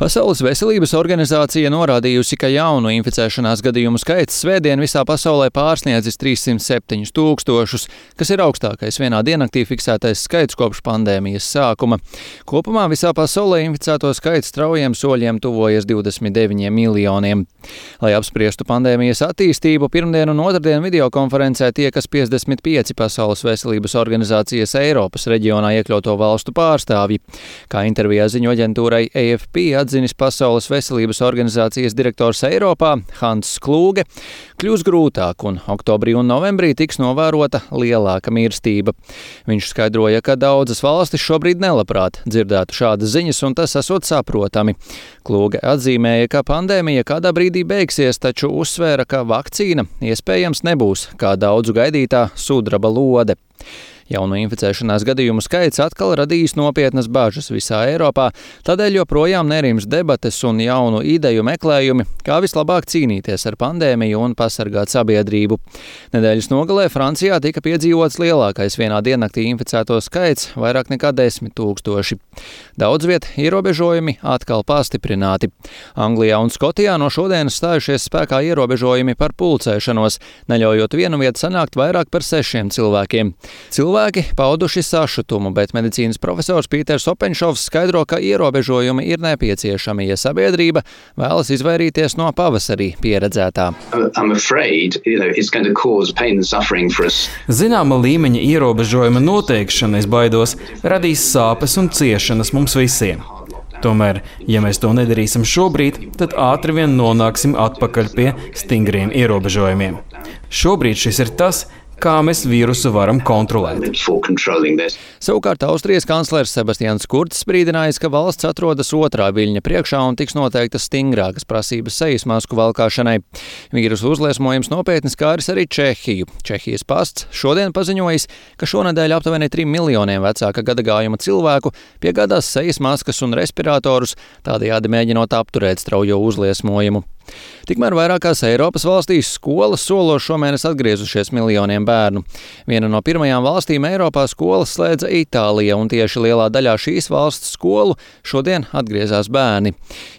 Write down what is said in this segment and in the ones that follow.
Pasaules veselības organizācija norādījusi, ka jaunu inficēšanās gadījumu skaits svētdien visā pasaulē pārsniedzis 307 000, kas ir augstākais vienā diennaktī fiksētais skaits kopš pandēmijas sākuma. Kopumā visā pasaulē inficēto skaits straujiem soļiem tuvojas 29 miljoniem. Lai apspriestu pandēmijas attīstību, pirmdien un otrdien videokonferencē tiekas 55 Pasaules veselības organizācijas Eiropas reģionā iekļauto valstu pārstāvji. Kā intervijā ziņo aģentūrai AFP atzinis Pasaules veselības organizācijas direktors Eiropā Hans Kluge, kļūs grūtāk un oktobrī un novembrī tiks novērota lielāka mirstība. Viņš skaidroja, ka daudzas valstis šobrīd nelabprāt dzirdētu šādas ziņas un tas esot saprotami. Kluge atzīmēja, ka pandēmija kādā brīdī beigsies, taču uzsvēra, ka vakcīna iespējams nebūs kā daudzu gaidītā sudraba lode. Jaunu inficēšanās gadījumu skaits atkal radījis nopietnas bažas visā Eiropā, tādēļ joprojām nerims debates un jaunu ideju meklējumi, kā vislabāk cīnīties ar pandēmiju un pasargāt sabiedrību. Nedēļas nogalē Francijā tika piedzīvots lielākais vienā diennaktī inficēto skaits – vairāk nekā 10 000. Daudz viet ierobežojumi atkal pastiprināti. Anglijā un Skotijā no šodienas stājušies spēkā ierobežojumi par pulcēšanos, neļaujot vienu vietu sanākt vairāk par 6 cilvēkiem. Cilvēki pauduši sašutumu, bet medicīnas profesors Pīters Openšovs skaidro, ka ierobežojumi ir nepieciešami, ja sabiedrība vēlas izvairīties no pavasarī pieredzētā. Zināma līmeņa ierobežojuma noteikšana, es baidos, radīs sāpes un ciešanas mums visiem. Tomēr, ja mēs to nedarīsim šobrīd, tad ātri vien nonāksim atpakaļ pie stingriem ierobežojumiem. Šobrīd šis ir tas, kā mēs vīrusu varam kontrolēt. Savukārt Austrijas kanclers Sebastians Kurts brīdinājis, ka valsts atrodas otrā viļņa priekšā un tiks noteiktas stingrākas prasības sejas masku valkāšanai. Vīrusu uzliesmojums nopietni skāris arī Čehiju. Čehijas pasts šodien paziņojis, ka šonedēļ aptuveni 3 miljoniem vecāka gadagājuma cilvēku piegādās sejas maskas un respiratorus, tādējādi mēģinot apturēt straujo uzliesmojumu. Tikmēr vairākās Eiropas valstīs skolas solo šomēnes atgriezušies miljoniem bērnu. Viena no pirmajām valstīm Eiropā skolas slēdza Itālija, un tieši lielā daļā šīs valsts skolu šodien atgriezās bērni.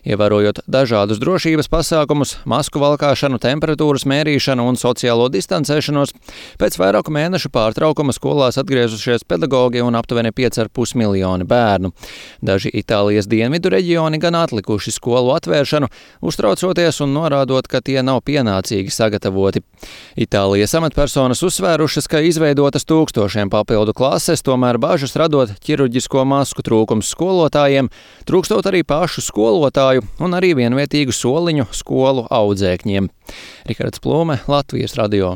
Ievērojot dažādus drošības pasākumus, masku valkāšanu, temperatūras mērīšanu un sociālo distancēšanos, pēc vairāku mēnešu pārtraukuma skolās atgriezušies pedagogi un aptuveni 5,5 miljoni bērnu. Daži Itālijas dienvidu reģioni gan atlikuši skolu atvēršanu, uztraucoties un norādot, ka tie nav pienācīgi sagatavoti. Itālijas amatpersonas uzsvērušas, ka izveidotas tūkstošiem papildu klases, tomēr bažas radot ķirurģisko masku trūkums skolotājiem, trūkstot arī pašu skolotāju un arī vienvietīgu soliņu skolu audzēkņiem. Rihards Plūme, Latvijas radio.